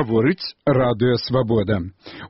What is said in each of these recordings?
Гаворыць радыё «Свабода».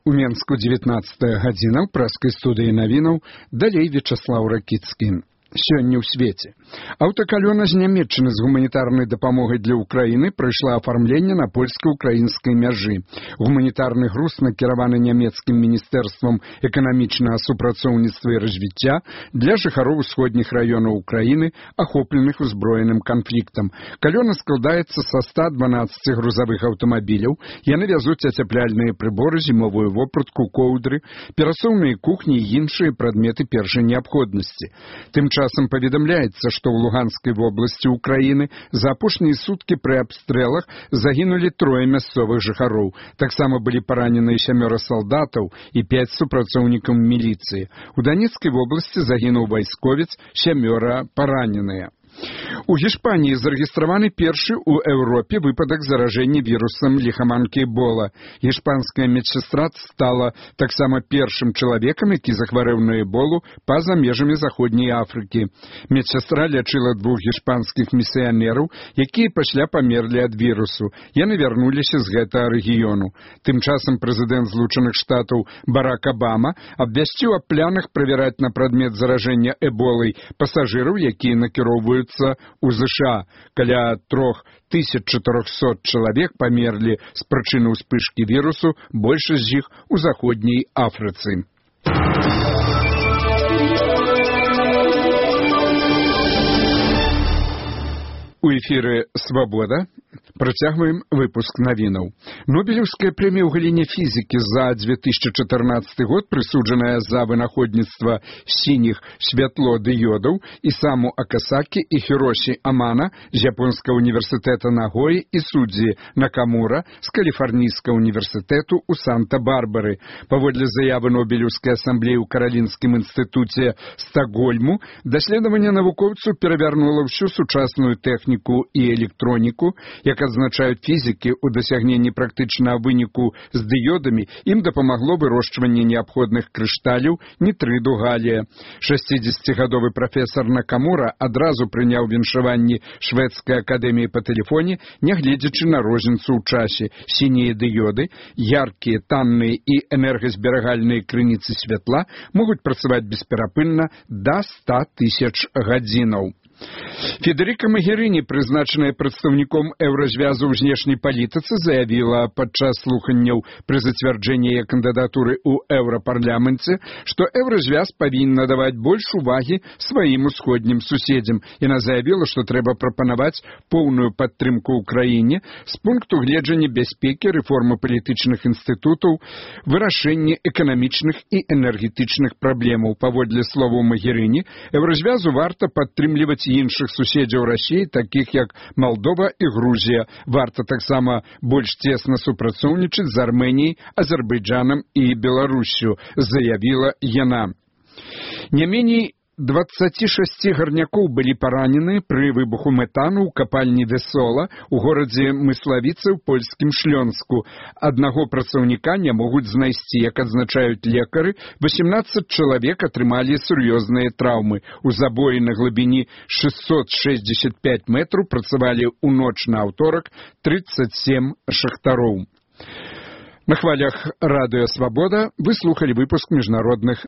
У Менску 19 гадзіна ў праскай студыі навінаў, далей Вячаслаў Ракіцкі. Сёння ў свеце. Аўтакалёна з Нямецчыны з гуманітарнай дапамогай для Ўкраіны прайшла афармленне на польска-ўкраінскай мяжы. Гуманітарны груз накіраваны нямецкім міністэрствам эканамічнага супрацоўніцтва і развіцця для жыхароў усходніх раёнаў Украіны, ахопленых узброеным канфліктам. Калёна складаецца са 112 грузавых аўтамабіляў. Яны вязуць ацяпляльныя прыборы, зімовую вопратку, коўдры, перасоўныя кухні і іншыя прадметы першай неабходнасці. Тым часам паведамляецца, што ў Луганскай вобласці Украіны за апошнія суткі пры абстрэлах загінулі 3 мясцовых жыхароў. Таксама былі параненыя 7 салдатаў і 5 супрацоўнікаў міліцыі. У Данецкай вобласці загінуў вайсковец, 7 параненыя. У Гішпаніі зарэгістраваны першы ў Еўропе выпадак заражэння вірусам ліхаманкі Эбола. Гішпанская медсястра стала таксама першым чалавекам, які захварэў на эболу па-за межамі заходняй Афрыкі. Медсястра лячыла 2 гішпанскіх місіянераў, якія пасля памерлі ад вірусу. Яны вярнуліся з гэтага рэгіёну. Тым часам прэзідэнт Злучаных Штатаў Барак Абама абвясціў аб планах правяраць на прадмет заражэння эболай пасажыраў, якія накіроўваюцца у ЗША. Каля 3400 чалавек памерлі з прычыны ўспышкі вірусу, большасць з іх у заходняй Афрыцы. У эфіры «Свабода» працягваем выпуск навінаў. Нобелеўская прэмія ў галіне фізікі за 2014 год, прысуджаная за вынаходніцтва сініх святлодыёдаў Ісаму Акасакі і Хіросі Амана з японскага універсітэта Нагоі і Судзі Накамура з каліфарнійскага універсітэту ў Санта-Барбары. Паводле заявы Нобелеўскай асамблеі ў Каралінскім інстытуце Стакгольму, даследаванне навукоўцаў перавярнула ўсю сучасную тэхніку і электроніку. Як адзначаюць фізікі, у дасягненні практычнага выніку з дыёдамі ім дапамагло вырошчванне неабходных крышталяў нітрыду галія. 60-гадовы прафесар Накамура адразу прыняў віншаванні шведскай акадэміі па тэлефоне, нягледзячы на розніцу ў часе. Сінія дыёды, яркія, танныя і энергазберагальныя крыніцы святла могуць працаваць бесперапынна да 100 000 гадзінаў. Федэрыка Магерыні, прызначаная прадстаўніком еўразвязу ў знешняй палітыцы, заявіла падчас слуханняў пры зацвярджэнні яе кандыдатуры ў еўрапарламенце, што еўразвяз павінен надаваць больш увагі сваім усходнім суседзям. Яна заявіла, што трэба прапанаваць поўную падтрымку ўкраіне з пункту гледжання бяспекі, рэформы палітычных інстытутаў, вырашэння эканамічных і энергетычных праблемаў. Паводле словаў Магерыні, еўразвязу варта падтрымліваць іншых суседзяў Расіі, такіх як Малдова і Грузія. Варта таксама больш цесна супрацоўнічаць з Арменіяй, Азербайджанам і Беларуссю, заявіла яна. Не меней 26 гарнякоў былі паранены пры выбуху метану ў капальні Весола ў горадзе Мыславіцы ў польскім Шлёнску. Аднаго працаўніка не могуць знайсці. Як адзначаюць лекары, 18 чалавек атрымалі сур'ёзныя траўмы. У забоі на глыбіні 665 метраў працавалі ў ноч на аўторак 37 шахтароў. На хвалях радыё «Свабода» вы слухалі выпуск міжнародных